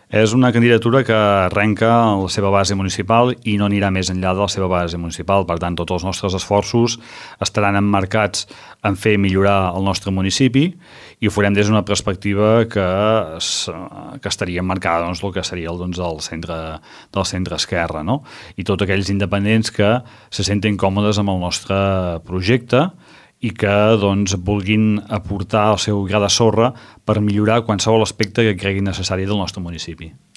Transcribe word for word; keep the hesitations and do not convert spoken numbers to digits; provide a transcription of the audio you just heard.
És una candidatura que arrenca la seva base municipal i no anirà més enllà de la seva base municipal. Per tant, tots els nostres esforços estaran emmarcats en fer millorar el nostre municipi i ho farem des d'una perspectiva que, es, que estaria emmarcada doncs, el que seria el, doncs, el centre, del centre esquerra, no? I tots aquells independents que se senten còmodes amb el nostre projecte i que doncs, vulguin aportar el seu gra de sorra per millorar qualsevol aspecte que creguin necessari del nostre municipi.